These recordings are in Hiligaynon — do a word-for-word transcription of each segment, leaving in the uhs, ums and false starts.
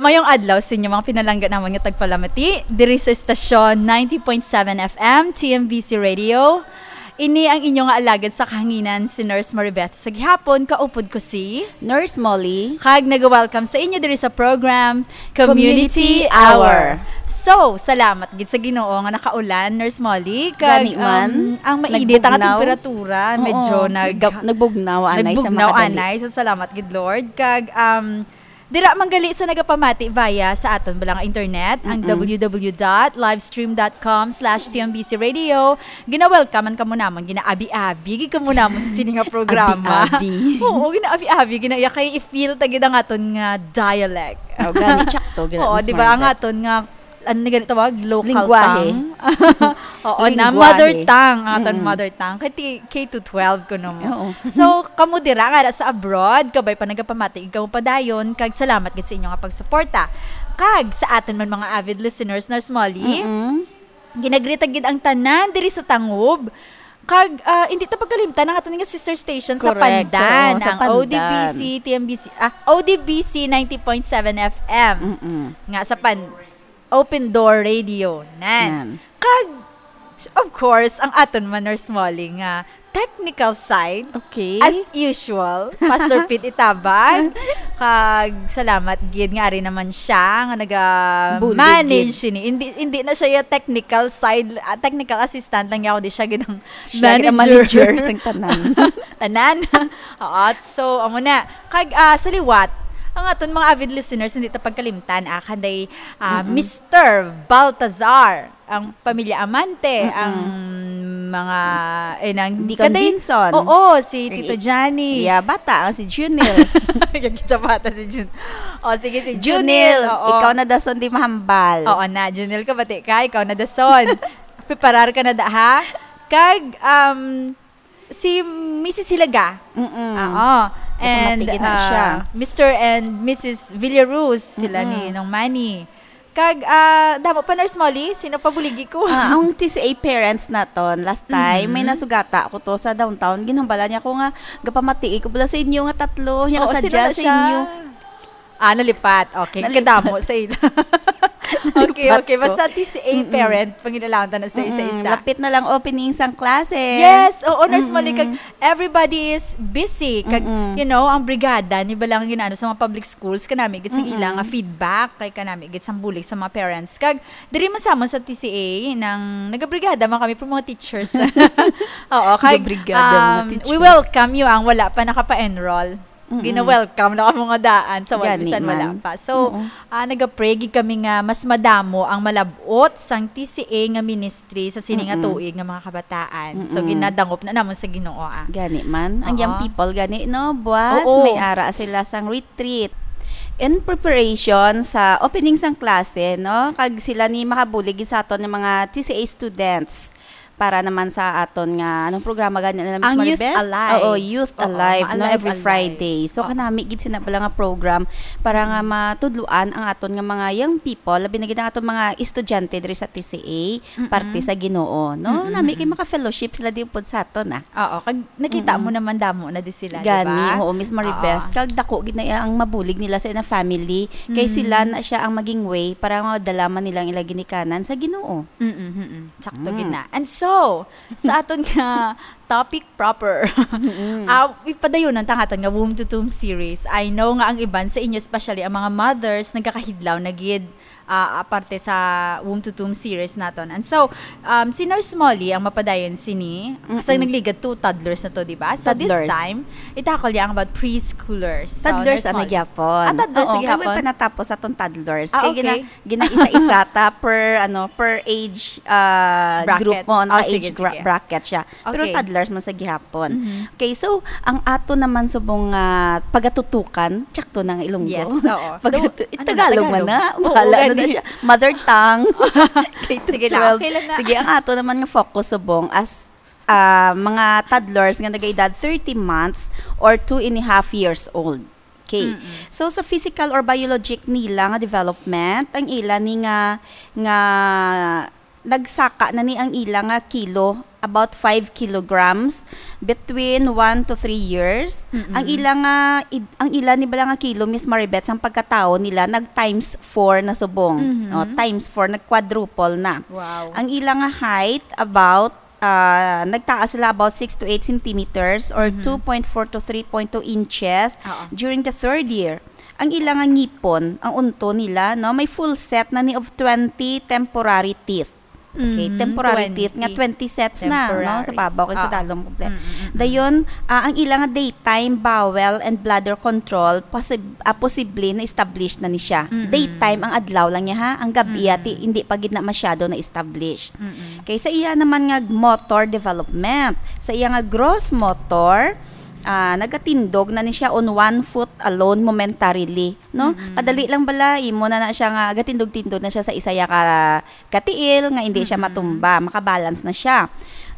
Mayong adlaw sa inyo, mga pinalangga namon nga tagpalamati, diri sa estasyon ninety point seven F M, T M B C Radio. Ini ang inyo nga alagad sa kahanginan, si Nurse Maribeth. Sa gihapon, kaupod ko si Nurse Molly. Kag nag-welcome sa inyo diri sa program, Community Community Hour. Hour. So, salamat gid sa Ginoo nga nakaulan, Nurse Molly. Kag, Gani man. um, ang mainit ang Nagbugnaw. temperatura, Oo, medyo nag-, nag-, nagbugnaw, anay, sa nagbugnaw, makadali. anay. So, salamat gid, Lord. Kag, um, dira man gali sa nagapamati via sa aton bala nga internet, ang Mm-mm. W W W dot livestream dot com slash T M B C radio. Gina-welcome man kamo namon, ginaabi-abi gid kamo namon sa sini nga programa. Abi-abi. Oo, ginaabi-abi, ginaiya kay i-feel ta gid ang aton nga dialect. Oh, gani, tsakto, gina-, Oo, Miss di ba, ang Maribeth. aton nga, ano ni gani tawag? Local Lingwahe. tongue? Oo, na Lingwahe. mother tongue, ang aton Mm-mm. mother tongue. Kay ti-, K to twelve ko no mo. Oo. So, kamo dira nga sa abroad, kabay pa nagapamati, ikaw padayon, kag salamat gid sa inyo nga pagsuporta. Kag sa aton man mga avid listeners, Nurse Molly, Mm-mm. ginagrita gid ang tanan diri sa Tangub. Kag, ah, hindi ta pagkalimtan ang aton nga sister station sa Correct. Pandan, Oo, sa ang Pandan. O D B C, T M B C, ah, O D B C ninety point seven F M. Mm-mm. Nga sa Pan-, Open Door Radio. Nan. Nan. Kag, of course, ang aton man, Nurse Molly, nga technical side, Okay. as usual, Pastor Pete Itabag. Kag salamat gid nga ari naman siya nga Bulig naga-manage gid. sini. Hindi, hindi na siya yung technical side, ah, technical assistant lang niya, kundi siya gid ang Siya gid ang manager. manager sang tanan. Tanan. Oo, so, amo na. Kag, ah, sa liwat, ang aton mga avid listeners, hindi ta pagkalimtan, ah, kanday, ah, Mm-mm. Mister Baltazar, ang pamilya Amante, Mm-mm. ang mga, eh, nang Deacon kanday, Vinson. Oo, si Tito Ay, Johnny. yeah, bata, ang si Junil. Yung kitsa bata si Jun-, oh, sige, si Junil, Junil, oo. ikaw na dason di mahambal. Oo na, Junil, kabati ka, ikaw na dason. Preparar ka na da, ha? Kag, um, si Missus Hilaga. Mm-mm. Oo. Nagpamati And, gid na siya. ah, Mister and Missus Villaruz, sila Mm-mm. ni Nong Manny. Kag, ah, damo pa, Nurse Molly, sino pa buligi ko? Ah, ang T C A parents naton, last time, may Mhm. nasugata ako to sa downtown. Ginhambalan niya ko nga, gapamati ko bala sa inyo nga tatlo, niya Oo, kasadya sino na sa siya? inyo. Ah, nalipat. Okay, Nalipat. kadamo sa ila. Okay, Nalipat okay. ko. Basta T C A Mm-mm. parent, panginalangtan na sa Mm-mm. isa-isa. Lapit na lang opening sang klase. Yes, oo, Nurse Molly, kag Mm-mm. everybody is busy. Kag, Mm-mm. you know, ang brigada, ni ba lang ginano sa mga public schools, kanami gid sa Mm-mm. ila nga feedback, kay kanami gid sang bulig sa mga parents. Kag, diri man sa amon sa T C A, nang nagabrigada man kami for mga teachers. Oo, kag, Nagabrigada mga um, we teachers. welcome you ang wala pa nakapa-enroll. Mm-mm. Gina-welcome na kamo nga daan sa wal-, Gani bisan wala man. pa. So, Oo. ah, nagapray gid kami nga mas madamo ang malab-ot sang T C A nga ministry sa sini nga Mm-mm. tuig nga mga kabataan. So, Mm-mm. ginadangop na namon sa Ginoo, ah. Gani man. Ang Oo. young people, gani, no? Buwas, Oo. may ara sila sang retreat. In preparation sa opening sang klase, no? Kag sila ni makabulig gid sa aton nga mga T C A students. Para naman sa aton nga, anong programa gani na, Miss Ang Youth Maribeth? Alive. Oo, Youth Oo, Alive, no? ma-alive, Every alive. Friday. So, Oo. kanami gid sina pala nga program para nga matudloan ang aton nga mga young people, labi na gid ang aton mga estudyante diri sa T C A, Mm-mm. parte sa Ginoo, no? Mm-mm, Nami kay mm-mm. maka-fellowship sila di upod sa aton, ah. Oo, kag nakita Mm-mm. mo naman damo na di sila, di Gani, ba? oo, Miss Maribeth. Oo. Kag dako gid na ang mabulig nila sa ilang family, kay Mm. sila na siya ang maging way para madala man nila ang ilang ginikanan sa Ginoo. Mm-mm, mm-mm. Sakto Mm. gid na. And so, sa aton nga topic proper, Mm-mm. ah, ipadayonan ta ang aton nga womb to tomb series. I know nga ang iban sa inyo, especially ang mga mothers, nagakahidlaw na gid, ah, aparte sa womb to tomb series naton. And so, um, si Nurse Molly ang mapadayon sini. Kasi Mm-mm. nagligad to toddlers na to, di ba? So, this Toddlers. time, itakol niya ang about preschoolers. So, Toddlers Nurse ang Molly. nagyapon. Ah, toddlers Oo, ang kaya may nagyapon? panatapos sa atong toddlers. Ah, Kaya gina-, okay. Ginaisa-isa ta per, ano, per age, ah, Bracket. group mo, Oh, naka-age sige, gra-, sige. bracket siya. Pero Okay. toddlers man sa gihapon. Mhm. Okay, so, ang ato naman subong, ah, pagatutukan, tsakto na nga Ilonggo. Yes, oo. Pagatu-, Ano, ano, Tagalog man Tagalog? na. Oo, Bahala na na gani. siya. Mother tongue. K to Sige lang, twelve. okay lang na. Sige, ang ato naman nga focus subong as, ah, mga toddlers nga nagaedad thirty months or two and a half years old. Okay. Mm-mm. So, sa physical or biologic nila nga development, ang ila ni nga, nga nagsaka na ni ang ila nga kilo about five kilograms between one to three years. Mm-mm. Ang ila nga id-, ang ila ni bala nga kilo, Miss Maribeth, sang pagkatawo nila nag times four na subong. Mhm. O, times four, nag-quadruple na. Wow. Ang ila nga height about, ah, nagtaas sila about six to eight centimeters or Mhm. two point four to three point two inches Oo. during the third year. Ang ila nga ngipon, ang unto nila, no, may full set na ni of twenty temporary teeth. Okay, Mm, temporary teeth nga twenty. Twenty sets na, no? Temporary. Sa babaw kay sa Oo. Dalom kompleto. Mm, mm, mm. Dayon, ah, ang ila nga daytime bowel and bladder control, posib-, ah, posible na established na ni siya. Mm, mm. Daytime, ang adlaw lang niya, ha? Ang gabi, Mm, mm. ati, hindi pa gid na masyado na establish. Mm, mm. Okay, sa iya naman nga motor development, sa iya nga gross motor, ah, nagatindog na ni siya on one foot alone momentarily, no? Mm, mm. Kadali lang bala, imo na na siya nga, gatindog-tindog na siya sa isa ya ka katiil nga hindi siya Mm-mm. matumba, makabalance na siya.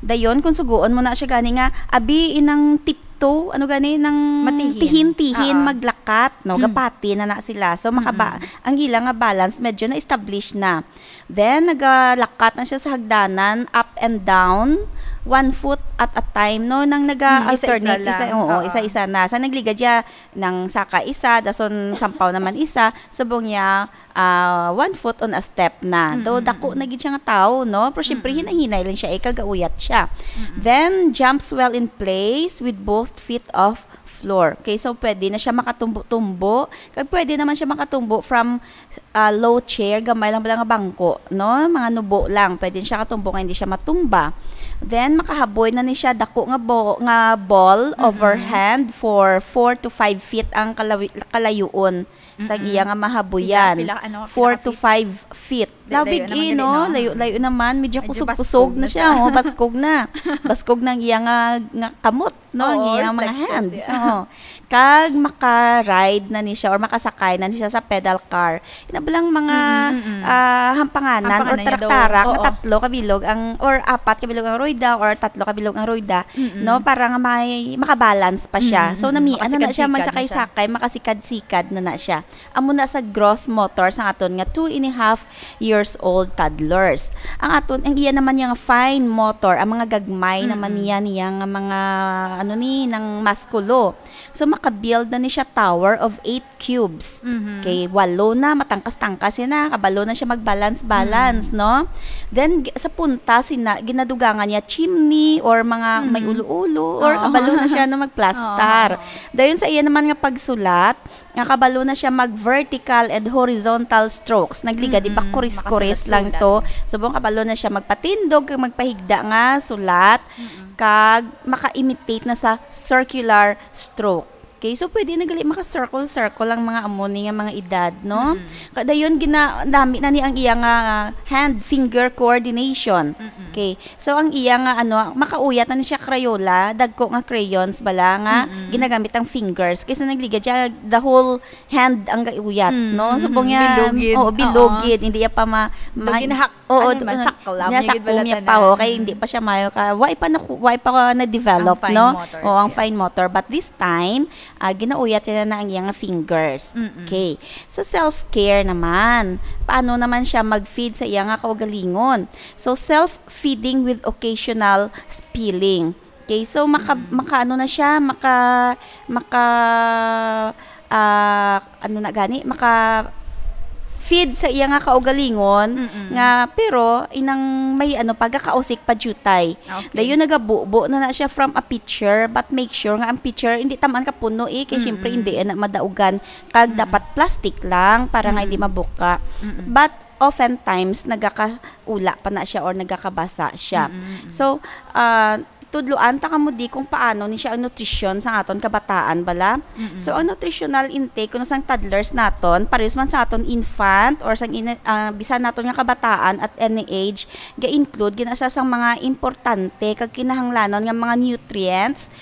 Dayon, kung suguon mo na siya gani nga, abi inang tiptoe, ano gani, nang Matihin. tihin-tihin Ah. maglakat, no? Mm. Gapati na na sila. So, makaba-, Mm-mm. ang ila nga balance, medyo na-establish na. Then, nagalakat na siya sa hagdanan, up and down, one foot at a time, no? Nang Mm, isa-isa naga-alternate, isa, lang. Oo, Oo. isa-isa na. Sa nagligad siya, nang saka isa, dason sampaw naman isa, subong niya, ah, one foot on a step na. Though Mm, dako mm. na gid siya nga tawo, no? Pero syempre, Mm, mm. hinay-hinay lang siya, eh, kagauyat siya. Mm, mm. Then, jumps well in place with both feet off floor. Okay, so pwede na siya makatumbo-tumbo. Kag pwede naman siya makatumbo from, ah, low chair, gamay lang bala nga bangko, no? Mga nubo lang. Pwede siya katumbo nga hindi siya matumba. Then, makahaboy na ni siya dako nga bo-, nga ball Mm, mm. overhand for four to five feet ang kalawi-, kalayuon. Sang Mm-mm. iya nga mahabuyan. Pila, pila, ano, pila Four ka to feet? five feet. Layo, layo naman, eh, no? Layo, layo naman. Medyo kusog-kusog na siya, oh. Baskog na. Baskog na ang iya nga, nga kamot, no? Ang iya mga hands. Oo. Kag maka-ride na ni siya or makasakay na ni siya sa pedal car. Ina ba lang mga, Mm, mm, mm. ah, hampanganan or tarak-tarak nga tatlo ka bilog ang, or apat ka bilog ang royda or tatlo ka bilog ang royda, Mm, mm. no? Para nga may makabalance pa siya. Mm, mm, mm. So, nami-, ano na na siya, makasikad-sikad na siya. Magsaksay-sakay, makasikad-sikad na na siya. Amo na sa gross motor sang aton nga two and a half years old toddlers. Ang aton, ang iya naman nga fine motor, ang mga gagmay naman niya, niya nga mga, ano ni, nang muskulo. So, makabuild na ni siya tower of eight cubes. Mhm. Okay, walo na, matangkas-tangkas siya na, kabalo na siya mag-balance-balance, no? Then, g-, sa punta, sina-, ginadugangan niya chimney or mga may ulo-ulo, or kabalo na siya na magplastar. Oo. Dayon sa iya naman nga pagsulat, nga kabalo na siya mag vertical and horizontal strokes. Nagligad, di ba, kuris-kuris lang to. Makasulat-sulat. Subong kabalo na siya magpatindog kag magpahigda nga sulat, kag maka-imitate na sa circular stroke. Okay, so pwede na gali maka-circle-circle ang mga amo ni nga mga edad, no? Kadayon, gina-, dami na ni ang iya nga hand-finger coordination. Okay, so ang iya nga, ano, makauyat na ni siya Crayola, dagko nga crayons bala nga ginagamit ang fingers. Kaysa nagligad siya, the whole hand ang gauyat, no? Subong niya, bilog gid. Oo, bilog gid. Hindi niya pa ma-, ma-, sakla niya pa, oh, kay hindi pa siya maayo ka, wa pa na, wa pa na-develop, no? Ang fine motor. But this time, ah, ginauyat niya na ang iyang fingers. Okay. Sa self-care naman, paano naman siya mag-feed sa iya nga kaugalingon? So, self-feeding with occasional spilling. Okay, so maka-, maka-, ano na siya, maka-, maka-, ah, ano na gani, maka-feed sa iya nga kaugalingon nga, pero inang may, ano, pagkakausik pa jutay. Okay. Dayon nagabubo na na siya from a pitcher, but make sure nga ang pitcher hindi taman ka puno, eh, kay syempre hindi na madaugan, kag dapat plastic lang para nga hindi mabuka. But oftentimes nagakaula pa na siya or nagakabasa siya. So, ah, tudloan ta kamo di kung paano ni siya ang nutrisyon sa aton kabataan bala. So, ang nutritional intake kuno sang toddlers naton, parehas man sa aton infant or sang ina-, ah, bisan naton nga kabataan at any age, ga-include gina siya sang mga importante kag kinahanglanon nga mga nutrients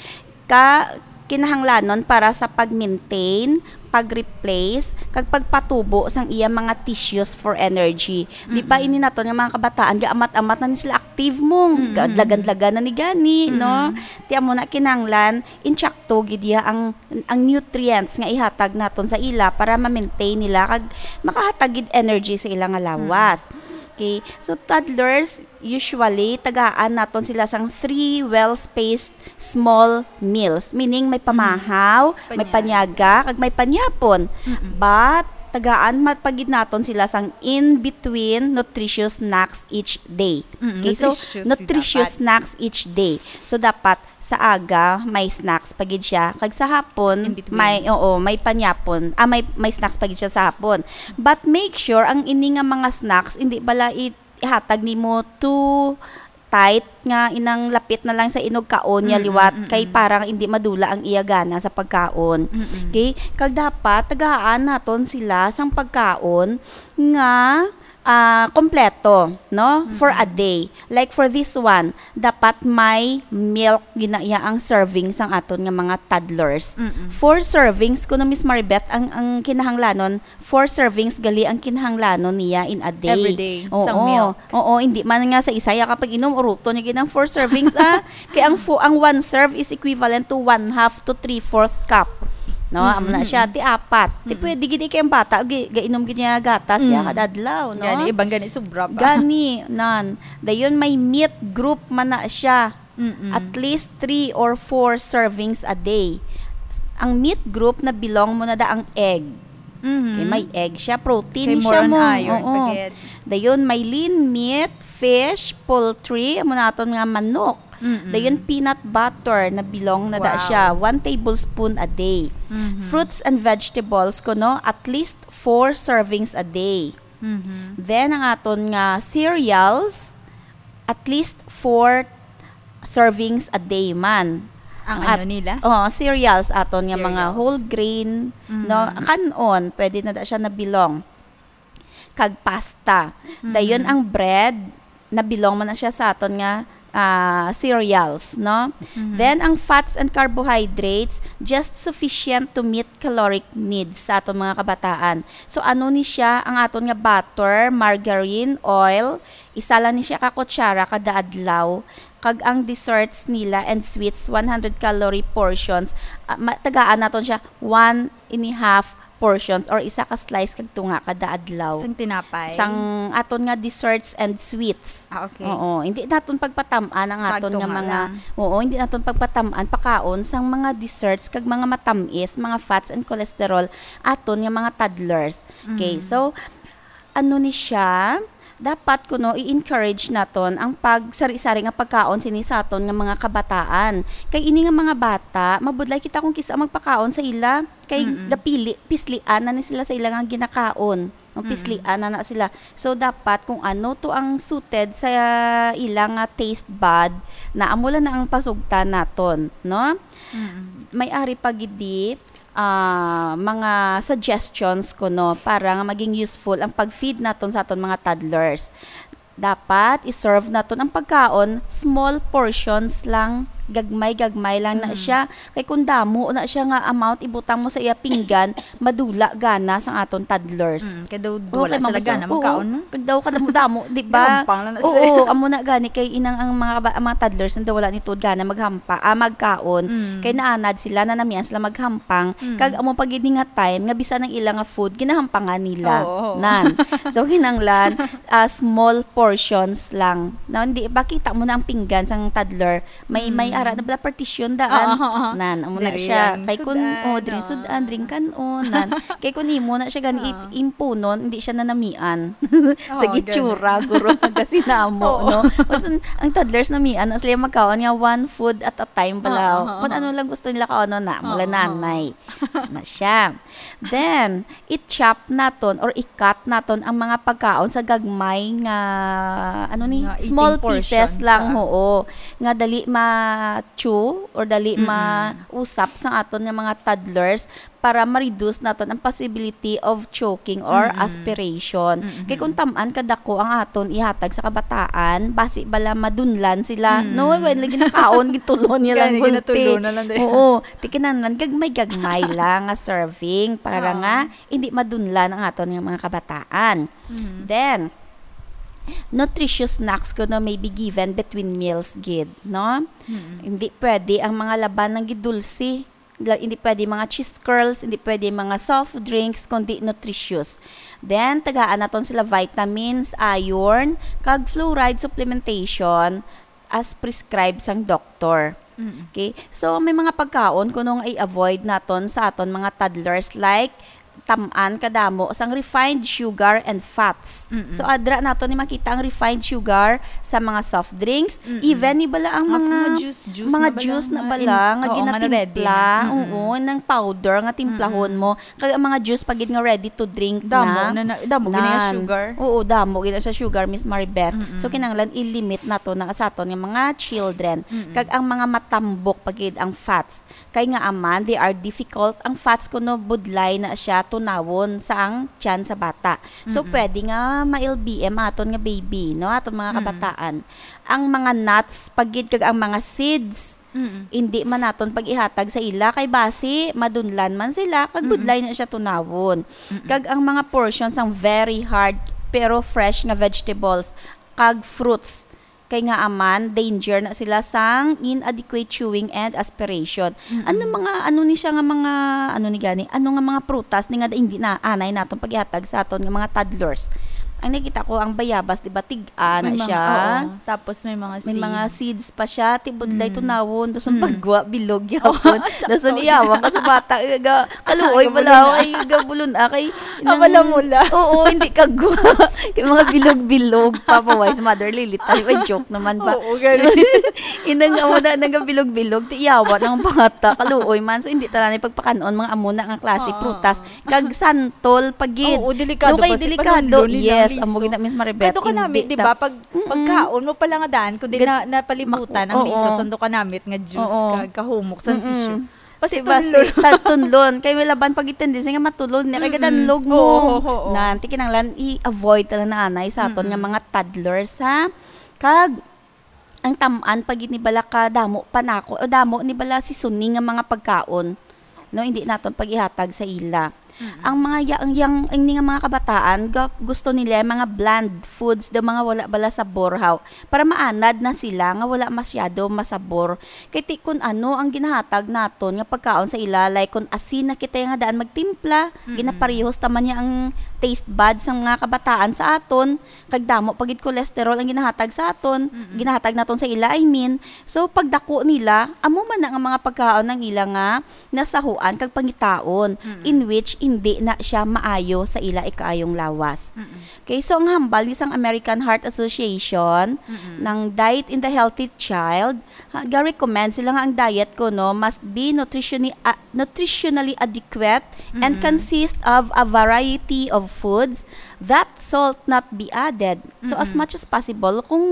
ka kinahanglanon para sa pag-maintain, pag-replace, kag pagpatubo sang iya mga tissues for energy. Di ba ini naton nga mga kabataan, gaamat-amat na ni sila, active mo, ga-, dlagan-dlagan na ni gani, no? Ti amo na kinahanglan, intsakto gid iya ang, ang nutrients nga ihatag naton sa ila para ma-maintain nila kag makahatag gid energy sa ila nga lawas. Okay. So, toddlers, usually, tagaan naton sila sang three well-spaced small meals. Meaning, may pamahaw, may Panyaga. panyaga, kag may panyapon. Mm-mm. But, tagaan ma-, pa gid naton sila sang in-between nutritious snacks each day. Mm, Okay, so, nutritious nutritious dapat. snacks each day. So, dapat sa aga, may snacks pa gid siya. Kag sa hapon, In between. may, oo, may panyapon. Ah, may, may snacks pa gid siya sa hapon. But make sure, ang ini nga mga snacks, hindi bala i-, ihatag nimo too tight nga inang lapit na lang sa inog kaon niya Mm-mm, liwat, kay mm-mm. parang hindi madula ang iya gana sa pagkaon. Mm-mm. Okay? Kag dapat, tagaan naton sila sang pagkaon nga, ah, kompleto, no? For a Mm-mm. day. Like for this one, dapat may milk gina-, iya ang serving sang aton nga mga toddlers. Mm-mm. Four servings, kuno, Miss Maribeth, ang, ang kinahanglanon, four servings gali ang kinahanglanon niya in a day. Every day, Oo. sang milk. Oo, hindi man nga sa isa ya kapag inom, uruton niya gid ang four servings, ah. Kay ang fo-, ang one serve is equivalent to one half to three-fourth cup. No, amo na siya. Mm-hmm. Ti apat. Ti Mm-mm. pwede gid kay ang bata, gi-, gainom gid niya gatas ya Mm. kada adlaw, no? Gani, ibang gani, sobra pa. Gani, nan. Dayon may meat group man na siya. Mm-mm. At least three or four servings a day. Ang meat group na belong mo na da ang egg. Mm-hmm. Okay, may egg siya, protein Kay siya more on mo. iron, Oo. pagid. Dayon may lean meat, fish, poultry, amo naton nga manok. Mm-mm. Dayon, peanut butter na belong na da Wow. siya, one tablespoon a day. Mm-hmm. Fruits and vegetables, kuno, at least four servings a day. Mm-hmm. Then, ang aton nga cereals, at least four servings a day man. Ang At, ano nila? Oh, cereals aton nga mga Cereals. whole grain, Mm-hmm. no? Kan-on, pwede na da siya na belong. Kag pasta. Dayon Mm-hmm. ang bread, na belong man na siya sa aton nga, ah, cereals, no? Mm-hmm. Then ang fats and carbohydrates, just sufficient to meet caloric needs sa aton mga kabataan. So ano ni siya ang aton nga butter, margarine, oil? Isa lang ni siya ka kutsara kada adlaw. Kag ang desserts nila and sweets, one hundred calorie portions. Ah, ma-, tagaan naton siya one and a half portions or isa ka slice kag tunga kada adlaw. Sang tinapay? Sang aton nga desserts and sweets. Ah, okay. Oo, hindi naton pagpatam-an ang Sag aton nga tunga mga, lang. oo, hindi naton pagpatam-an pakaon sang mga desserts kag mga matamis, mga fats and cholesterol aton nga mga toddlers. Okay, Mm. so ano ni siya? Dapat kuno i-encourage naton ang pagsari-sari nga pagkaon sini sa aton nga mga kabataan. Kay ini nga mga bata, mabudlay kita kung kis-a magpakaon sa ila. Kay Mm-mm. gapili, pislian na ni sila sa ila nga ginakaon. Ang Mm-mm. pislian na na sila. So, dapat kung ano to ang suited sa ila nga taste bud, na amo lang na ang pasugtan naton, no? Mm-mm. May ari pa gid di, ah, mga suggestions kuno para nga maging useful ang pag-feed naton sa aton mga toddlers. Dapat i-serve naton ang pagkaon, small portions lang, gagmay-gagmay lang na Mm. siya. Kay kung damo na siya nga amount ibutang mo sa iya pinggan, madula gana sang aton toddlers. Mm, kay daw Oo, wala kay sila mabasa. gana Oo, magkaon, no? Kag daw kadamo-damo, di ba? Gahampang lang na Oo, sila. amo na gani kay inang ang mga ba-, ang mga toddlers na daw wala ni tuod gana maghampa, ah, magkaon. Mm. Kay naanad sila, nanamian sila maghampang. Mm. Kag amo pa gid ni nga time nga bisan ang ila nga food ginahampangan nila. Oo, oo. Nan. So, kinahanglan, ah, small portions lang. Na, hindi, pakita mo na ang pinggan sang toddler. May, may Mm. ara na pala partition daan. Oo, oo, oo. Nan, amo na Diri siya. ang Kay kun, sudan, oh, diri oo. sudan, diri kan-on, nan. Kay kun imo na siya gani Oo. it-, impunon, hindi siya nanamian. Oo, Sa gani. gitsura, guro, gasinamo, Oo. no? Basta ang toddlers namian, na sila magkaon nga one food at a time pala. Oo, oo, Kung oo. ano lang gusto nila kaon, na, mula Oo, oo. nanay. Na siya. Then, i-chop naton or i-cut naton ang mga pagkaon sa gagmay nga, ano ni, Nga small eating pieces portions, lang, ah. oo. Nga dali ma-chew or dali Mm-mm. mausap sa aton nga mga toddlers para ma-reduce naton ang possibility of choking or Mm-mm. aspiration. Mm-mm. Kay kung tam-an kadako ang aton ihatag sa kabataan, basi bala madunlan sila. Mm. No, when lagi nakaon, gitulon niya lang Gani, gulpi. ginatulo na lang din. Oo. Ti kinahanglan gagmay-gagmay lang nga serving para Oo. nga hindi madunlan ang aton nga mga kabataan. Mm. Then, nutritious snacks kuno may be given between meals gid, no? Mm. Hindi pwede ang mga laban nga gidulsi. La-, hindi pwede mga cheese curls, hindi pwede mga soft drinks, kundi nutritious. Then, tagaan naton sila vitamins, iron, kag fluoride supplementation as prescribed sang doktor. Mm. Okay? So, may mga pagkaon kuno nga i-avoid naton sa aton mga toddlers, like tam-an kadamo sang refined sugar and fats. Mm-mm. So, adra naton ni makita ang refined sugar sa mga soft drinks, Mm-mm. even ni bala ang Mga mga, mga juice, juice mga na bala, juice na mga bala in-, nga oo, nga na-ready ginatimpla, na. Mm-mm. oo, ng powder nga timplahon Mm-mm. mo. Kag ang mga juice pa gid nga ready to drink Damo na. na, na, damo gid na Nan. sugar. Oo, damo gid na siya sugar, Miss Maribeth. Mm-mm. So, kinahanglan i-limit nato na sa aton nga mga children. Mm-mm. Kag ang mga matambok pa gid ang fats. Kay nga aman, they are difficult. Ang fats kuno budlay na siya tunawon sa ang tiyan sa bata. So, Mm-mm. pwede nga ma-L B M aton nga baby, no? Aton mga Mm. kabataan. Ang mga nuts, pa gid kag ang mga seeds, Mm-mm. hindi man naton pag-ihatag sa ila. Kay basi, madunlan man sila, kag Mm-mm. budlay na siya tunawon. Mm-mm. Kag ang mga portions sang very hard, pero fresh nga vegetables, kag fruits, kay nga aman, danger na sila sang inadequate chewing and aspiration. Mm-mm. Ano mga, ano ni siya nga mga, ano ni gani, ano nga mga prutas ni nga hindi na anay naton pag-ihatag sa aton nga mga toddlers? Ang nakita ko, ang bayabas, di ba, tig-a na May mga, siya. oo. Tapos may mga May mga seeds. seeds pa siya, ti budlay Mm. tunawon, dason Mm. pagwa, bilog Oh, gyapon. sakto Dason gid. iyawan ka sa bata, eh, ga-, kaluoy Gamulon bala, na. ay, gabulon, ah, kay Ah, nang mula-mula. Oo, hindi kagwa. Kay mga bilog-bilog, Papa Wise, Mother Lily, tayo, ay, joke naman ba? Oo, ganun. Inang amo na, nang bilog-bilog, ti iyawan ang bata, kaluoy man. So, hindi talaga pagpakanon, mga amo na nga klase, Oo. prutas. Kag santol, pa gid. Oo, delikado No, kay kasi delikado. panunlon ni Yes, Nang amo Liso. gid na, Miss Maribeth, Kay do ka nami, hindi di ba? ta-, Pag, Mm-mm. pagkaon mo pala nga daan, kundi Gad-, na, napalibutan mak-, ang liso, oo. sando ka namit nga juice, Oo. kag kahumok sa Mm-mm. tissue. Kasi Kasi basi, basi. tatunlon. Kay wala ban pag-itindi, nga matulon niya, kay Mm-mm. gadanlog mo. Oo, oo, oo. Nan, ti kinahanglan i-avoid talaga na anay sa aton nga Mm-mm. mga toddlers, ha? Kag, ang tam-an pa gid ni bala ka damo panako, o damo ni bala seasoning nga mga pagkaon, no, hindi naton pag-ihatag sa ila. Mm-mm. Ang mga ya-, ang yang, ang nga mga kabataan, ga-, gusto nila yung mga bland foods, the mga wala bala sabor, haw, para maanad na sila nga wala masyado masabor. Kay ti kun ano ang ginahatag naton nga pagkaon sa ila, like kun asin na kita nga daan magtimpla, Mm-mm. ginaparehos ta man niya ang taste buds sang mga kabataan sa aton, kag damo pa gid cholesterol ang ginahatag sa aton, Mm-mm. ginahatag naton sa ila, I mean. So, pagdako nila, amo man na nga mga pagkaon ang ila nga nasahuan kag pangitaon, Mm-mm. in which hindi na siya maayo sa ila ikaayong lawas. Mm-mm. Okay, so ang hambal ni sang American Heart Association, Mm-mm. ng Diet in the Healthy Child, ha, ga-recommend sila nga ang diet kuno must be nutritioni-, ah, nutritionally adequate and Mm-mm. consist of a variety of foods that salt not be added. So, as Mm-mm. much as possible, kung,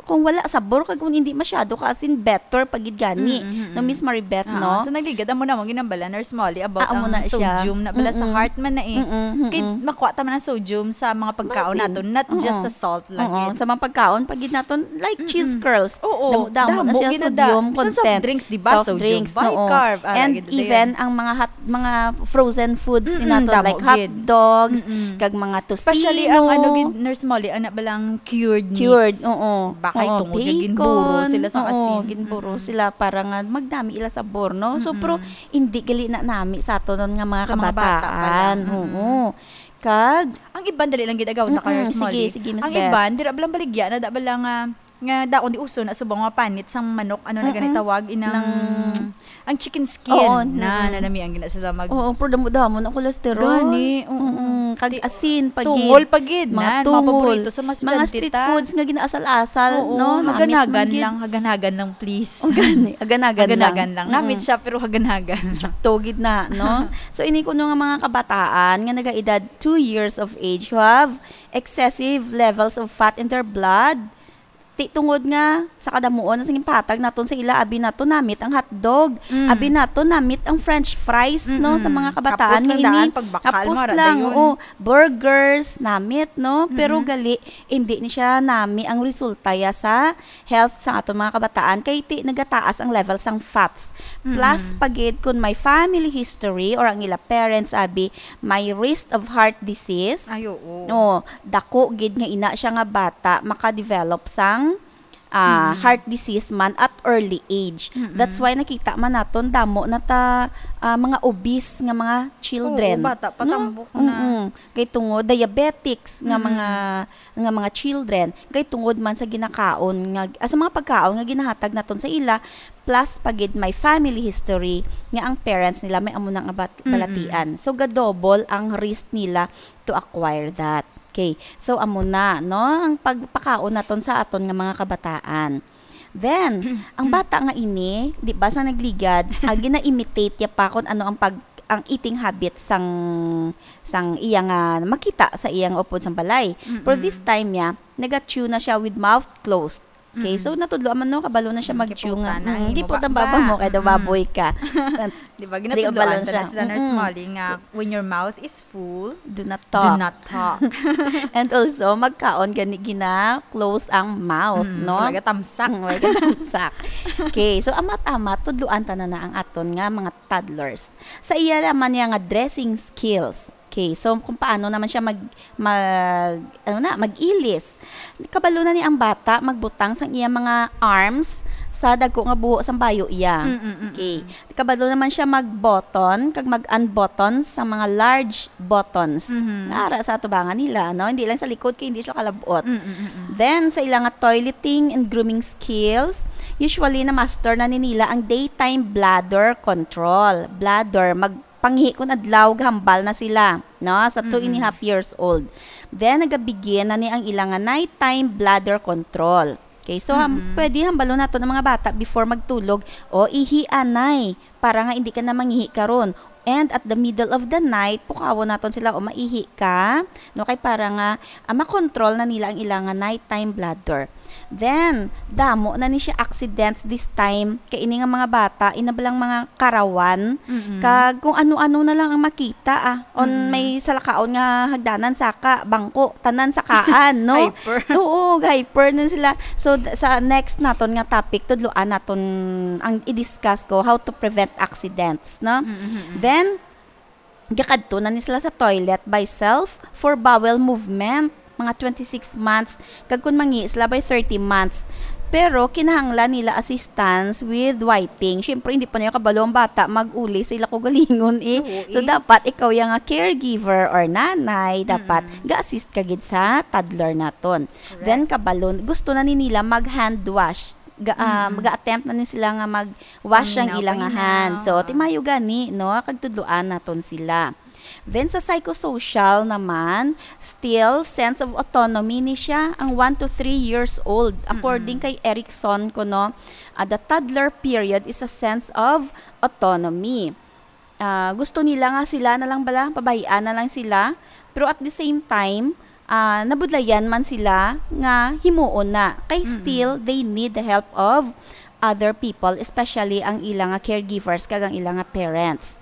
kung wala sabor, kag kung hindi masyado ka, as in, better pa gid gani, Mm-mm, mm-mm. no, Miss Maribeth, Oo, no? so nagligad, amo na mo ginambala, Nurse Molly, about Ah, amo ang na siya. sodium na bala sa Mm-mm. heart man na eh. Mm-mm, Kay mm-mm. makuha ta man ang sodium sa mga pagkaon Basin. naton, not Oo. just sa salt lang Oo, gid. sa mga pagkaon, pa gid naton, like Mm-mm. cheese curls. Oo, Damo-damo na damo siya, gid na da-, sodium sa soft content. drinks, di ba? Soft Sodium drinks, oo. bicarb, ah, And lagi na even dayon. ang mga hot, mga frozen foods ni Mm-mm, naton, damo like hot gid. dogs, Mm-mm. kag mga Especially ang ano tocino. gid, Nurse Molly, ana ba lang cured Cured, meats? oo. Baka Oo, itong mga ginburo bacon, sila sa oo, asin. ginburo Mm-mm. sila para nga magdami ila sabor, no? So, Mm-mm. pero hindi gali na nami sa aton nga mga Sa mga bata pa lang. kabataan. Mm-mm. Oo. Kag Ang iban dali lang gid agaw na Mm-mm. kay Nurse Sige, Molly. sige, Miss Ang Beth. iban, dira ba lang baligya na da ba lang, ah, nga daon di uso na subong nga panit sang manok, ano na gani Mm-mm. tawag, inang Nang ang chicken skin Oo, na, mm. na nami ang gina sila mag Oo, pero damo-damo na cholesterol. Gani, oo. Mm-mm. Kag Ti-, asin, pa tungol gid. pa gid, Mga na, mga tungol. paborito sa mga Mga estudyante street ta. foods nga ginaasal-asal, Oo, no? Namit man hagan-hagan gid. lang, hagan-hagan lang, please. Ang gani, hagan-hagan lang. Hagan-hagan lang. Namit Mm-mm. siya, pero hagan-hagan. Sakto gid na, no? So, ini kuno nga mga kabataan nga nagaedad two years of age who have excessive levels of fat in their blood, ti tungod nga sa kadamuon sa ginpahatag naton sa ila, abi naton namit ang hotdog, Mm. abi naton namit ang french fries, no, sa Mm-mm. mga kabataan Hapos lang nga ini. daan, pagbakal Hapos mo, ara lang, dayon. oo, burgers, namit, no? Pero Mm-mm. gali, hindi ni siya nami ang resulta ya sa health sa aton mga kabataan, kay ti nagataas ang level sang fats. Plus, Mm-mm. pagid kung may family history or ang ila parents, abi, may risk of heart disease. Ay, oo. Oh, dako gid nga ina siya nga bata maka-develop sang ah, Mm. heart disease man at early age. Mm-mm. That's why nakita man naton damo na ta, ah, mga obese nga mga children, Oo, bata pa, no? Tambok na. Mm-mm. Kay tungod diabetics nga Mm-mm. mga, nga mga children, kay tungod man sa ginakaon nga, ah, sa mga pagkaon nga ginahatag naton sa ila, plus pa gid may family history nga ang parents nila may amo na nga bat-, Mm-mm. balatian. So, ga-double ang risk nila to acquire that. Okay. So, amo na, no? Ang pagpakaon naton sa aton nga mga kabataan. Then, ang bata nga ini, di ba, sa nagligad, ah, gina-imitate ya pa kung ano ang pag-, ang eating habits sang, sang iya nga makita sa iya nga upod sang balay. Pero this Mm-mm. time niya, naga-chew na siya with mouth closed. Okay, Mm-mm. so natudloan man, no, kabalo na siya Mm, mag-chew nga. Giputan na ang Mm, imo giputan ba-, baba ba? mo, kay daw Mm-mm. baboy ka. Di ba, Di, ginatudloan kabalo ta na siya. sila, Nurse Mm-mm. Molly, nga when your mouth is full, Do not do talk. not talk. And also, magkaon gani gina-close ang mouth, Mm, no? Talaga tamsak. Mm, talaga tamsak. Okay, so amat-amat, tudloan ta na na ang aton nga mga toddlers. Sa iya naman niya nga dressing skills. Okay, so kung paano naman siya mag, mag, ano na, mag-ilis. Kabalo na ni ang bata magbutang sang iya mga arms sa dagko nga buho sang bayo iya. Mm, mm, mm, Okay. mm. Kabalo naman siya mag-button kag mag-unbutton sa mga large buttons. Mhm. Nga ara sa atubangan nila, no? Hindi lang sa likod kay hindi sila kalabot. Mm, mm, mm, mm. Then, sa ila nga toileting and grooming skills, usually na-master na ni nila ang daytime bladder control. Bladder, magpangihi kun adlaw, gahambal na sila, no? Sa two and a half Mm-mm. years old. Then, nagabigin na ni ang ila nga nighttime bladder control. Okay, so, ham-, Mm-mm. pwede hambalon nato ng mga bata before magtulog, "O, ihi, anay, para nga hindi ka na mangihi karon." And at the middle of the night, pukawon naton sila, "O, maihi ka." No, kay para nga, ah, makontrol na nila ang ilang nga nighttime bladder. Then, damo na ni siya accidents this time. Kay ini nga mga bata, ina ba lang mga karawan, Mm-mm. kag kung ano-ano na lang ang makita, ah. On Mm-mm. may salakaon nga hagdanan, saka, bangko, tanan sakaan, no? Hyper. Oo, hyper na sila. So, d-, sa next naton nga topic, tudloan naton ang i-discuss ko, how to prevent accidents, no? Mm-hmm. Then, gakadto na ni sila sa toilet by self for bowel movement, mga twenty-six months, kag kung mangi sila by thirty months. Pero kinahanglan nila assistance with wiping. Siyempre, hindi pa niya kabalo ang bata mag-uli sa ila kaugalingon, eh. Oo, So, eh. dapat ikaw yang nga caregiver or nanay, dapat Mm-mm. ga-assist ka gid sa toddler naton. Correct. Then, kabalo, gusto na ni nila mag-hand wash. Ga-, um, Mm-mm. ga-attempt na ni sila nga mag-wash ang Paminaw, ilang paminaw. hand. So, timayo gani, no? Kag tudloan naton sila. Then, sa psychosocial naman, still, sense of autonomy ni siya ang one to three years old. According Mm-mm. kay Erikson, kuno, ah, the toddler period is a sense of autonomy. Ah, gusto nila nga sila na lang bala, pabayaan na lang sila. Pero at the same time, ah, nabudlayan man sila nga himuon na. Kay Mm-mm. still, they need the help of other people, especially ang ilang nga caregivers kag ang ilang nga parents.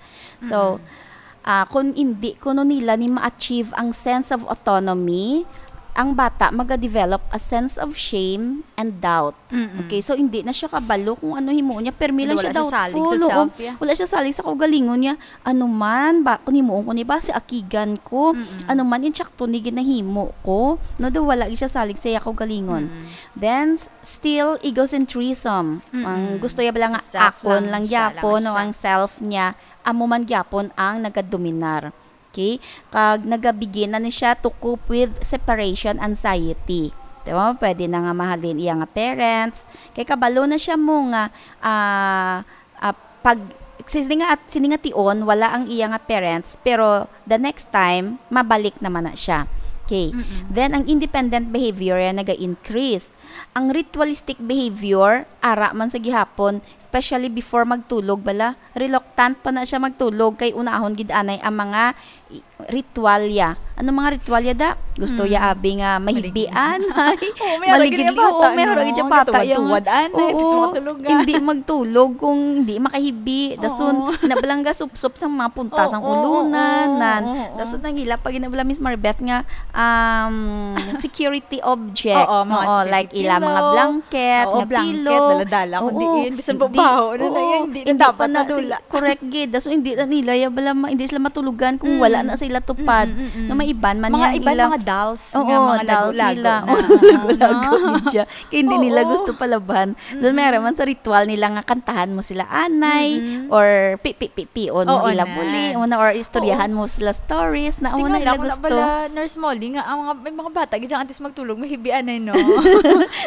So, Mm-mm. ah, kung hindi kuno nila ni ma-achieve ang sense of autonomy, ang bata maga-develop a sense of shame and doubt. Mm-mm. Okay, so hindi na siya kabalo kung ano himuon niya. Permi lang Wala siya siya salig doubtful. sa Oo, self, yeah. wala siya salig sa kaugalingon niya. Ano man, ba, kung himuon ko ni ba, si akigan ko. Mm-mm. Ano man, insakto ni ginahimo ko. No, daw wala gid siya salig sa iya kaugalingon. Mm-mm. Then, s-, still egocentrism. Mm-mm. Ang gusto niya bala nga Self akon lang, lang siya lang gyapon, no, siya. ang self niya, amo man gyapon ang nagadominar. Okay? Kag nagabigin na ni siya to cope with separation anxiety. Diba? Pwede na nga mahalin iya nga parents. Kay kabalo na siya mo nga, ah, ah, pag, sini nga, sini nga tion, wala ang iya nga parents, pero the next time, mabalik naman na siya. Okay. Mm-mm. Then, ang independent behavior yan naga-increase. Ang ritualistic behavior, ara man sa gihapon, especially before magtulog, bala, reluctant pa na siya magtulog, kay unahon gid anay ang mga i-, ritualya. Ano mga ritualya da? Gusto ya Mm. abi nga mahigbian, ay, Oo, may harag maligid gid li-, bata, oo, may harag no? gid siya bata, Gatuwad-tuwad, yung, anay, tas oo, makatulog ka. hindi magtulog kung hindi makahibi. Dason, Oo. nabalangga supsop sa mga punta sang Oo, ulunan, oo, nan. oo, oo. Dason, nang ila, pag ginabala, Miss Maribeth, nga, um, security object. Oo, mga Oo, security like ila, mga pillow. blanket, Oo, nga blanket, pillow. dala-dala ko Oo. diin. Bisan Hindi. pa baho, ano na Oo. yun, hindi na Hindi dapat pa na, nadula. correct gid. Dason, hindi na nila, ya bala, ma-, hindi sila matulugan kung Mm. wala na sa nila tupad. Mm, mm, mm. No, may iban man Mga niya ang iban, ila-, mga dolls oo, nga, mga dolls lago-lago nila. na. Oo, lago-lago Oo. gid siya. Kay hindi nila Oo. gusto palaban. Doon may Mm-mm. araman sa ritual nila nga kantahan mo sila anay Mm-mm. or pi-, pi-, pi-, pion mo Oo, ila na. buli, una, or istoryahan Oo. mo sila stories na una Tingala ila ko na gusto. bala, Nurse Molly, nga ang mga, may mga bata, gid ang antes magtulog, mahibian ay, no?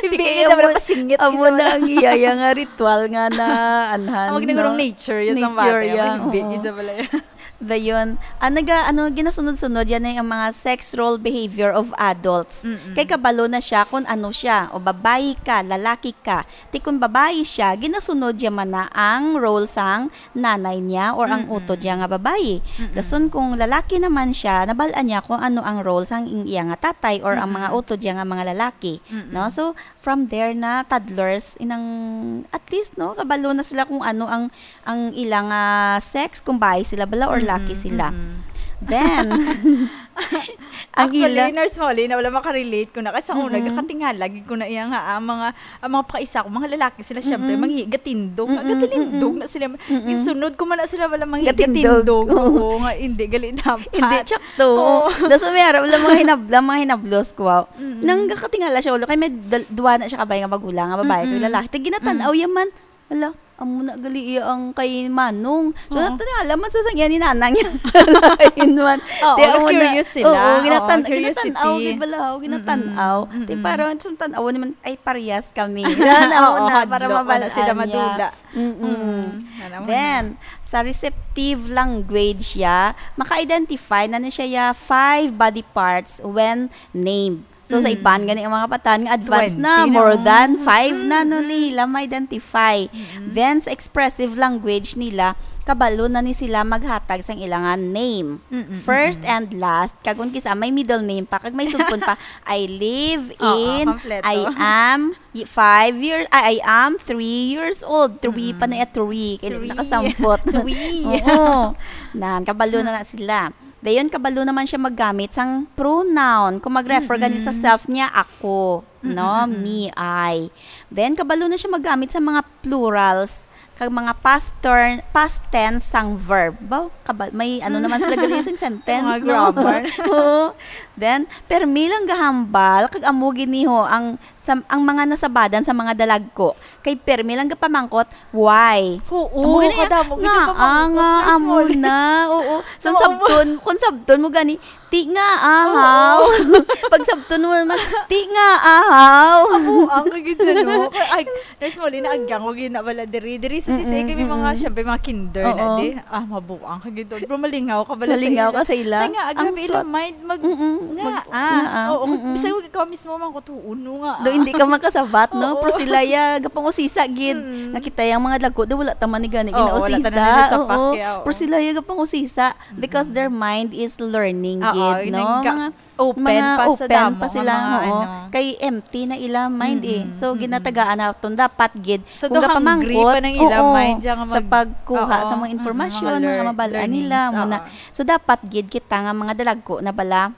Hibi Di kaya gid sa amo, bala, pasingit amo gid sa na bala. ang iyaya nga ritual nga na anhan, Ang no? nagurong nature, yes, ang Nature bata, yan, mahibi oo. gid sa bala. Dayon, ah, naga-, ano, ginasunod-sunod yan ay ang mga sex role behavior of adults. Mm-mm. Kay kabalo na siya kung ano siya, o babayi ka, lalaki ka. Ti kung babayi siya, ginasunod niya man na ang role sang nanay niya or ang Mm-mm. utod niya nga babayi. Mm-mm. Dason kung lalaki naman siya, nabal-an niya kung ano ang role sang ing-, iya nga tatay or ang mga Mm-mm. utod niya nga mga lalaki, Mm-mm. no? So, from there na toddlers, inang, at least, no, kabalo na sila kung ano ang, ang ilang, ah, sex, kung bayi sila bala or laki Mm-mm, sila. mm-mm. Then, ang Actually, ila- Nurse Molly, na wala makarelate ko na. Kasi sa una, Mm-mm. gakatingala, gid ko na iya nga, ah, mga, ang mga pakaisa ko, mga lalaki sila, syempre, Mm-mm. mangi-, gatindog. Mm-mm, Gatilindog mm-mm. na sila. Mm-mm. Ginsunod ko man na sila, wala mangi-, Gatindog. gatindog. Oo. Oo, nga, hindi, gali dapat. Hindi, tsakto. Oo. Daso may araw, wala mga hinab-, wala mga hinablos ko, wow. Mm-mm. Nang gakatingala siya, wala, kay may dal-, duwa na siya kabay nga magulang, nga babae, kay Mm-mm. lalaki. Ti ginatan-aw Mm. ya man. Hala, amo na gali iya ang kay Manong. So, Oo. natingala man sa sangyan ni Nanang. Lain man. Oo, Ti amo na na-curious sila. Oo, Oo, ginatan-, curiosity. ginatan-aw, gid bala, oh, ginatan-aw. Mm-mm. Ti Mm-mm. parang sa tan-aw naman, ay, parehas kami. Yan, amo Oo, na, para hadlok, mabal-an wala sila niya. madula. Mm-mm. Mm, alam mo Then, na. sa receptive language ya, maka-identify na ni siya ya five body parts when named. So, sa Mm. iban gani ang mga batan nga advance na, Twenty na, more oh. than five na, no, Mm-mm. nila ma-identify. Mm-mm. Then, sa expressive language nila, kabalo na ni sila maghatag sang ilangan name. Mm-mm, First mm-mm. and last, kag kung kisa may middle name pa, kag may sugpon pa, "I live Oo, in, kompleto. I am y-, five year, ay, I am three years old." Three pa Mm-mm. na iya, three. Kay Three. nakasampot. Three. Oo. Nan, kabalo na na sila. Dayon, kabalo naman siya maggamit sang pronoun. Kung mag-refer gani sa Mm-mm. self niya, "Ako." No? Mm-mm, mm-mm. "Me, I." Then, kabalo na siya maggamit sa mga plurals, kag mga past ter-, past tense sang verb. Ba, kabal-, may ano naman sila gali sa sentence, Mga no? grammar. Oo. Then, permi lang gahambal, kag amo gid ni ho ang, sa, ang mga nasabadan sa mga dalagko. Kay permi lang gapamangkot, "Why?" Oo, Amo gani, kadamo gid nga, yung pamangkot, ah, nga, Nurse amo Molly. na, oo. Sa Kung sabton, kung sabton mo gani, "Ti nga, ahaw." Oo. Pag sabton mo naman, "Ti nga, ahaw." Amo, ang kagid sa, no? Ay, Nurse Molly, naagyang ko gid na bala diri. Diri sa Mm-mm, T C A, kami mga, mm-mm. syempre, mga kinder na Oo. di. Ah, mabuang ka gid. Pero malingaw ka bala sa Malingaw ila. ka sa ila. Kaya nga, grabe Ang ilang thought. mind, mag-, Mm-mm. nga, Mag-, ah. nga, ah. Oo, Mm-mm. bisag ikaw mismo man ko, "Tuon, no, nga, Do, ah." hindi ka makasabat, no? Oo. Pero sila ya, gapangusisa gid. Mm. Nakita yang mga dagko, do, wala ta man ni gani Oo, wala ta ginausisa. na nila sa Oo. pakya, oo. Pero sila ya, gapangusisa because Mm-mm. their mind is learning Oo, gid, yun no? ang ga-, Mga open mga pa sa open damo pa nga sila, mga oo. ano. Kay empty na ila mind, eh. Mm-mm, So, mm-mm. ginatagaan naton dapat gid So, kung do hungry gapamangkot, pa nang ila oo, mind, siya nga sa mag-, pagkuha oo, sa mga mm-mm, impormasyon, mga mga lear-, mabal-an nila, learnings, muna. oo. So, dapat gid kita nga mga dalagko na bala,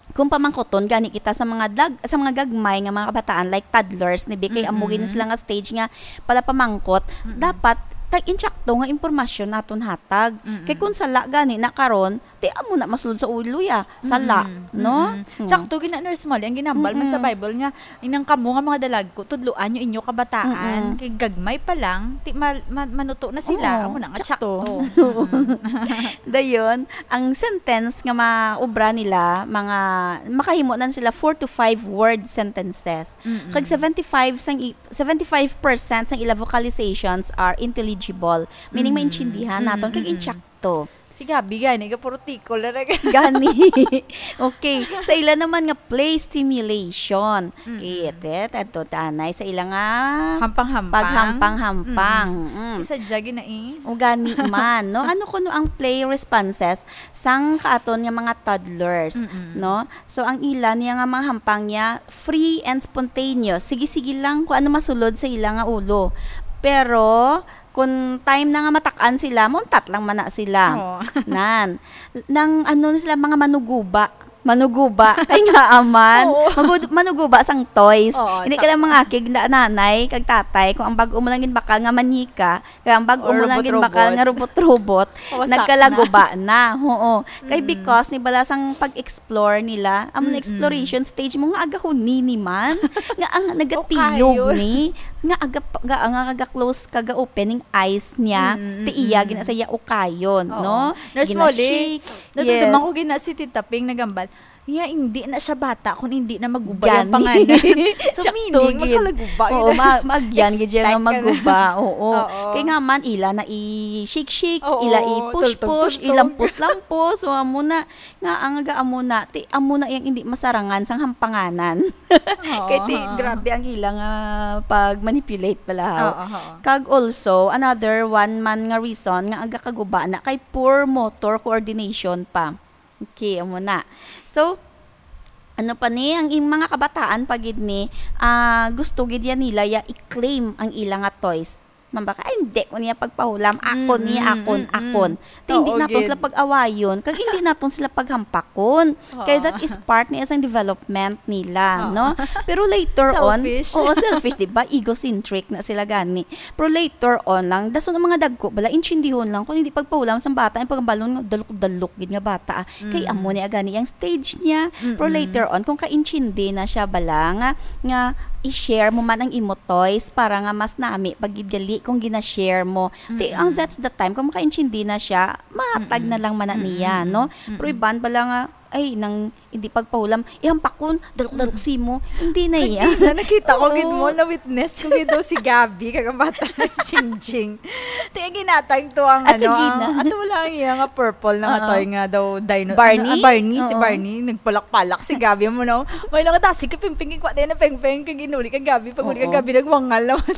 kung pamangkoton gani kita sa mga dag-, sa mga gagmay nga mga kabataan, like toddlers, ni Bi, kay amo gid Mm-mm. sila nga stage nga pala pamangkot, Mm-mm. dapat tag-, insakto nga impormasyon naton hatag. Mm-mm. Kay kung sala gani na karon, ti amo na masulod sa ulo ya, sala, Mm-mm. no? Mm-mm. Hmm. Sakto gid na, Nurse Molly, ang ginambal man sa Mm-mm. Bible nga, inang kamo nga mga dalagko, tudloan nyo inyo kabataan, Mm-mm. kay gagmay pa lang, ti ma-, ma-, manuto na sila, Oo, amo na nga, sakto. sakto. Mm-mm. Dayon, ang sentence nga maobra nila, mga, makahimo na sila four to five word sentences. Mm-mm. Kag seventy-five sang i-, seventy-five percent sang ila vocalizations are intelligible, meaning Mm-mm. maintindihan naton, kag Mm-mm. insakto. Si Gabby gani, gapurtikol na nag- Gani. Okay. Sa ila naman nga play stimulation. Mm-mm. Kit, eh, adto tanay sa ila nga Hampang-hampang. paghampang-hampang. Mm. Mm. Isa dya gina eh. O gani man, no? Ano kuno ang play responses sang kaaton nga mga toddlers, Mm-mm. no? So, ang ila niya nga mga hampang niya, free and spontaneous. Sige-sige lang kung ano masulod sa ila nga ulo. Pero, kung time na nga matak-an sila, mauntat lang man na sila. Oo. Nan. Nang ano na sila, mga manuguba. Manuguba. Kay nga aman. Oo. Magud- manuguba sang toys. Oo, Hindi ka lang mangakig na nanay kag tatay kung ang bag-o mo lang ginbakal nga manyika, kay ang bag-o Or mo lang ginbakal robot-robot. Nga robot-robot, Wasak nagkalaguba na. Oo. Kay Mm. Because ni bala sang pag-explore nila, amo na Mm-mm. exploration stage mo nga agahuni ni man, nga ang nagatiyog Ukayon. ni, nga aga, nga, nga aga-close kag opening eyes niya, Mm-mm. ti iya gina sa iya ukayon, Oo. no? Nurse Gina Molly, shake. Nadumduman Yes. ko gina si Tita Ping nagambal. Iya, hindi na siya bata kung hindi na maguba yung Gani. panganan. So, Tsakto meaning, gid. magkalaguba Oo, yun. ma- magyan gid siya nga Expect ka na. Maguba. Oo. Oo. Kay nga man, ila na i-shake-shake, Oo, ila i-push-push, tultog-tultog. ilampos-lampos. So, amo na, nga ang aga amo na, ti, amo na yung hindi masarangan sang hampanganan. Oo, Kay ti, oo. grabe ang ila nga pag-manipulate pala. Oo, oo. Kag also, another one man nga reason nga aga kaguba na kay poor motor coordination pa. Okay, amo na. So, ano pa ni, ang ing mga kabataan pa gid ni, ah, gusto gid yan nila ya i-claim ang ila nga toys. Mambaka, "Ay, hindi ko niya pagpahulam. Akon niya, Mm-mm, akon, mm-mm. akon." Ti, hindi Oo, naton gid. sila pag-awayon, kag hindi naton sila paghampakon. Kay that Oo. is part niya sang development nila, Oo. no? Pero later on, Selfish. Oo, selfish, di ba? Egocentric na sila gani. Pero later on lang, dason ang mga dagko, bala, intsindihon lang kung hindi pagpahulam sang bata, ang pagambalon nga dalok-dalok gid nga bata, ah. Kay Mm. amo ni gani ang stage niya. Pero Mm-mm. later on, kung kaintindi na siya, bala, nga, nga i-share mo man ang imo toys para nga mas nami pag gid gali kung gina-share mo. Ti, Mm-mm. ang that's the time, kung makaintindi na siya, mahatag Mm-mm. na lang man na niya, Mm-mm. no? Mm-mm. Pero iban, bala nga, ay, nang hindi pagpahulam, ihampakon, dalok-dalok simo. Hindi na iya. Kag na, nakita ko gid mo, Oo. na-witness ko gid daw si Gabby, kag ang bata na Chinching. Ti, ginatag to ang, Ah, ano, kagina. ang, ato wala ang iya nga purple na nga Oo. toy nga daw dino. Barney? Ano, ah, Barney, si Oo. Barney, nagpalak-palak si Gabby mo, no? May lang tasi ka pingping, ikwa tayo na pingping, kag inuli ka Gabby, pag uli ka Oo. Gabby, nagwangal naman.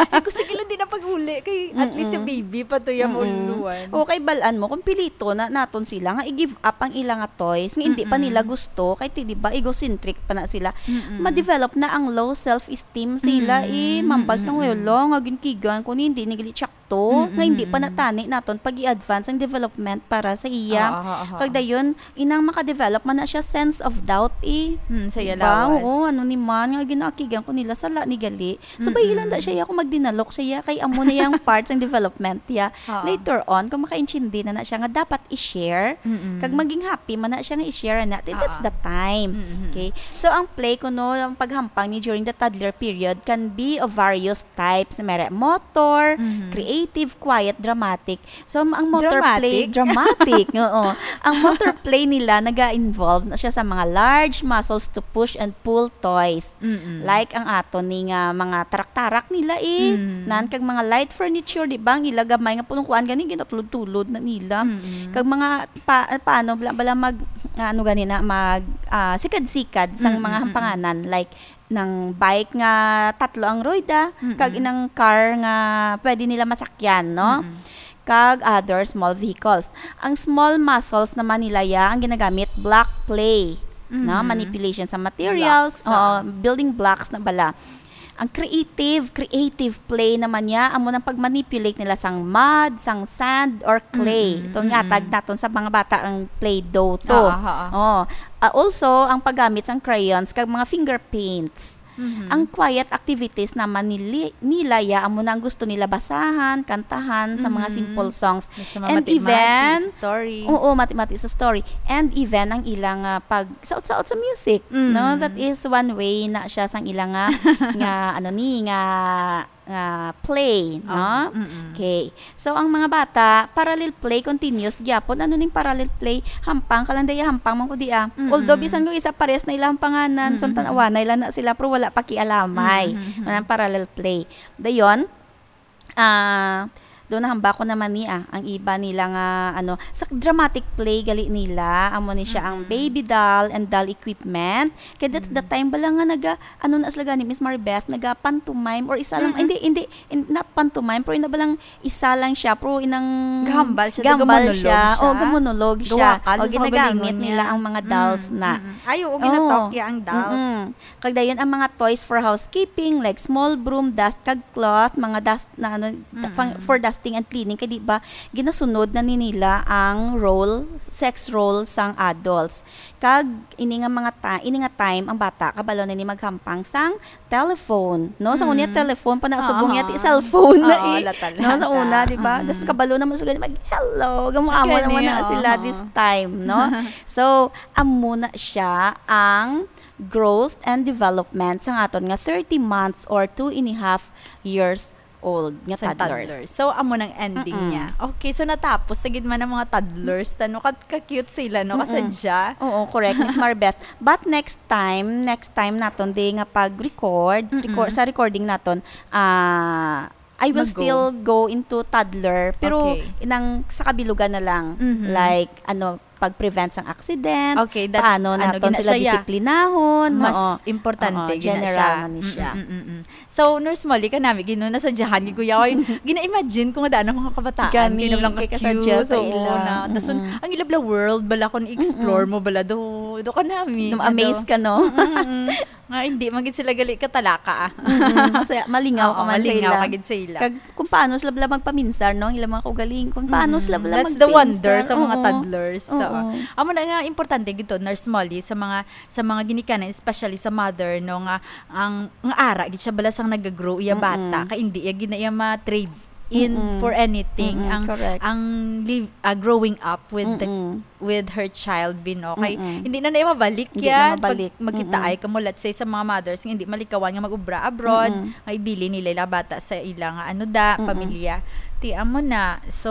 Ay, ko, sige lang, di na pag-uli, kay at least si Mm-mm. baby pa to yung Mm-mm. uluan. O, kay balaan mo, kung pilito na naton sila, nga i-give up ang ilang toys, nga hindi pa Mm-mm. nila gusto, kay ti, di ba, egocentric pa na sila, Mm-mm. ma-develop na ang low self-esteem sila, eh, Mm-mm. mambas lang, Mm-mm. "Wala, nga ginkigan ko ni, hindi ni gali tsakto," nga hindi pa Mm-mm. natani naton pag-i-advance ang development para sa iya. Oo, oo, oo. Kag dayon, inang maka-develop man na siya sense of doubt, eh. Mm, sa iya Diba? lawas. Oo, ano ni man, nga ginakigan ko nila, sala ni gali. So, Mm-mm. bahilan da siya, ya, kung magdinalok siya, ya, kay amo na yang part sang development, ya. Oo. Later on, kung makaintindi na na siya nga dapat i-share, Mm-mm. kag maging happy man na siya nga i-share na, ti, that's Oo. the time. Mm-hmm. Okay? So, ang play kuno, ang paghampang ni during the toddler period can be of various types. May motor, Mhm. creative, quiet, dramatic. So, ang motor Dramatic? play, dramatic, oo. Ang motor play nila naga-involve na siya sa mga large muscles to push and pull toys. Mm-mm. Like ang ato ni nga mga tarak-tarak nila, eh. Mm. Nan kag mga light furniture, di ba? Ang ila gamay nga pulong kuan gani, ginatulod-tulod na nila. Mm-mm. Kag mga pa, paano bala, bala mag, ah, ano gani na, mag, ah, sikad-sikad sang Mm, mga mm, mm. hampanganan, like nang bike nga tatlo ang rueda, Mm-mm. kag inang car nga pwede nila masakyan, no? Mm-mm. Kag other small vehicles. Ang small muscles naman nila, ya, ang ginagamit, block play, no? Mhm. Manipulation sa materials, Blocks, ah. Oo, building blocks na bala. Ang creative, creative play naman niya, amo nang pag-manipulate nila sang mud, sang sand, or clay. Mm-mm, Itong mm-mm. yatag naton sa mga bata ang Play-Doh to. Ah, ah, ah, ah. Oh. Ah, also, ang paggamit sang crayons kag mga finger paints. Mhm. Ang quiet activities naman nili-, nila, ya, amo na ang gusto nila basahan, kantahan, sa mga Mhm. simple songs. Basta And mamati-mati even, sa story. Oo, mati-mati sa story. And even ang ilang, ah, pag saot-saot sa music, Mm. no? That is one way na siya sang ilang nga, nga, ano ni, nga, nga play, no? Oh, mm-mm. Okay. So, ang mga bata, parallel play continuous gyapon. Ano ning parallel play? Hampang ka lang, daya, hampang man ko di, ah. Mm-mm. Although, bisan kung isa pares na ilang panganan, so, Mm-mm. tanawanay lang na sila, pero wala pakialamay. Mm-hmm. Manang parallel play. Dayon, ah, doon nahamba ko naman ni, ah, ang iba nila nga, ano, sa dramatic play gali nila, amo ni siya ang Mm-mm. baby doll and doll equipment. Kaya that's the Mm. time bala nga naga, ano na sila gani, Miss Maribeth, naga pantomime or isa lang, Mm-mm. hindi, hindi, in, not pantomime, pero ina balang isa lang siya, pero inang Gahambal siya, gahambal gamonolog siya. siya. Oh, gamonolog siya. Gawakan O, sa ginagamit kaugalingon nila niya. ang mga Mm, dolls na. mm-mm. Ay, oo, ginatalk niya ang dolls. Mm-mm. Kag dayon ang mga toys for housekeeping, like small broom, dust kag cloth, mga dust na ano, Mm-mm. fang-, for dust Ting and cleaning, kay di ba, ginasunod na ni nila ang role, sex role sang adults. Kag ini nga mga ta-, ini nga time, ang bata, kabalo na ni maghampang sang telephone, no? Sa una, Mm. telephone pa na, subong Aha. yati cellphone na Oo, eh. lata-lata. No, sa una, di ba? Mm-mm. Tas kabalo naman sila, mag-hello, gamuamo Kani, naman na sila oo. this time, no? So, amo na siya ang growth and development sa aton nga thirty months or two and a half years old nga Sa toddlers. toddlers. So, amo nang ending Mm-mm. niya. Okay, so natapos na gid man ang mga toddlers, ta, no? Ka, ka-cute sila, no? Mm-mm. Kasadya. Oo, correct, Miss Marbeth. But next time, next time naton, di nga pag-record, Mm-mm. record, sa recording naton, ah, I will Mag-go. still go into toddler, pero Okay. inang sa kabilugan na lang, Mhm. like, ano, pag-prevent sang accident, Okay, that's, paano ano, naton gina sila siya, yeah. disiplinahon, Mas oo. importante Oo, gina general siya. na ni siya. Mm, mm, mm, mm. So, Nurse Molly, kanami, gino, nasadyahan ni Kuya, oy, gina-imagine ko nga daan ang mga kabataan, Gani, kay nablang kay ka-cute, kasadya sa oo, ila. na. Tas, Mm-mm. ang ila bala world, bala, kung i-explore Mm-mm. mo, bala, do, do kanami, Na-amaze ado. ka, no? Mm-mm. Nga, hindi, man gid sila gali katalaka, ah. Mm-mm. Kasi malingaw Oo, ka man sa malingaw ila. ka gid sa ila. Kag kung paano sila bala magpaminsar, no? Ang ilang mga kaugaling, kung paano Mm-mm. sila bala That's the wonder magpaminsar. sa mga Oo. toddlers. So, Oo. amo na nga, importante gid to, Nurse Molly, sa mga, sa mga ginikanan, especially sa mother, no, nga ang, nga ara gid siya bala sang nagagrow iya Mm-mm. bata, kay hindi iya gid na iya ma-trade in Mm-mm. for anything. Mm-mm, Ang, correct. ang live, ah, growing up with the, Mm-mm. with her child, Bin, okay? Mm-mm. Hindi na na iya mabalik Hindi na yan. Pag mabalik. magkitaay Mm-mm. ka mo, let's say, sa mga mothers nga hindi malikawan nga mag-ubra abroad, Mm-mm. nga ibilin nila ila bata sa ila nga, ano da, Mm-mm. pamilya. Ti, amo na. So,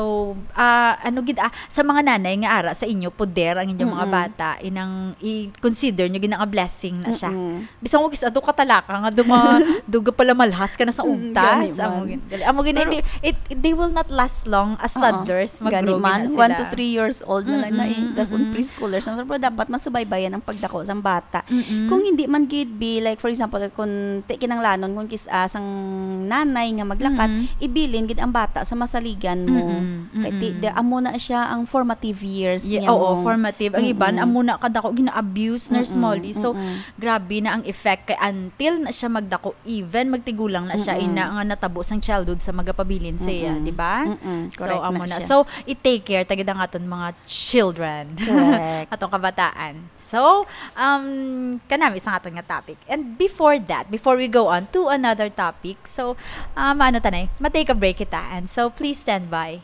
ah, ano gid, ah, sa mga nanay nga ara sa inyo, poder ang inyong mga Mm-mm. bata, inang i-consider nyo gid nga blessing na siya. Mm-mm. Bisan ko kis ato katalaka nga duma-, duga pala malhas ka na sa Mm, ugtas. gani Amo man. gin-, gali-, amo gin-, Pero hindi, it, they will not last long as Oo. toddlers. Gani Mag-grow man, gina sila. one to three years old na lang na eh. Mm-mm, Tas on mm-mm. preschoolers na. Pero dapat masubaybayan ang pagdako sang bata. Mm-mm. Kung hindi man gid be, like, for example, kung ti kinanglanon, kung kis-, ah, sang nanay nga maglakat, Mm-mm. ibilin gid ang bata sa masaligan mo. Mm-mm, Kay ti, mm-mm. di, amo na siya ang formative years Ye-, niya oo, mo. formative. Ang iban, Mm-mm. amo na kadako gina-abuse, Nurse Mm-mm, Molly. So, mm-mm. grabe na ang effect kay until na siya magdako, even magtigulang na siya, Mm-mm. ina nga natabo sang childhood sa magapabilin sa iya, Mm-mm. di ba? Mm-mm. So, Correct amo na na. siya. So, i-take care ta gid ang aton mga children. Correct. Atong kabataan. So, um, kanami sa aton nga topic. And before that, before we go on to another topic, so, um, ano, tanay, ma-take a break kita. And so, please stand by.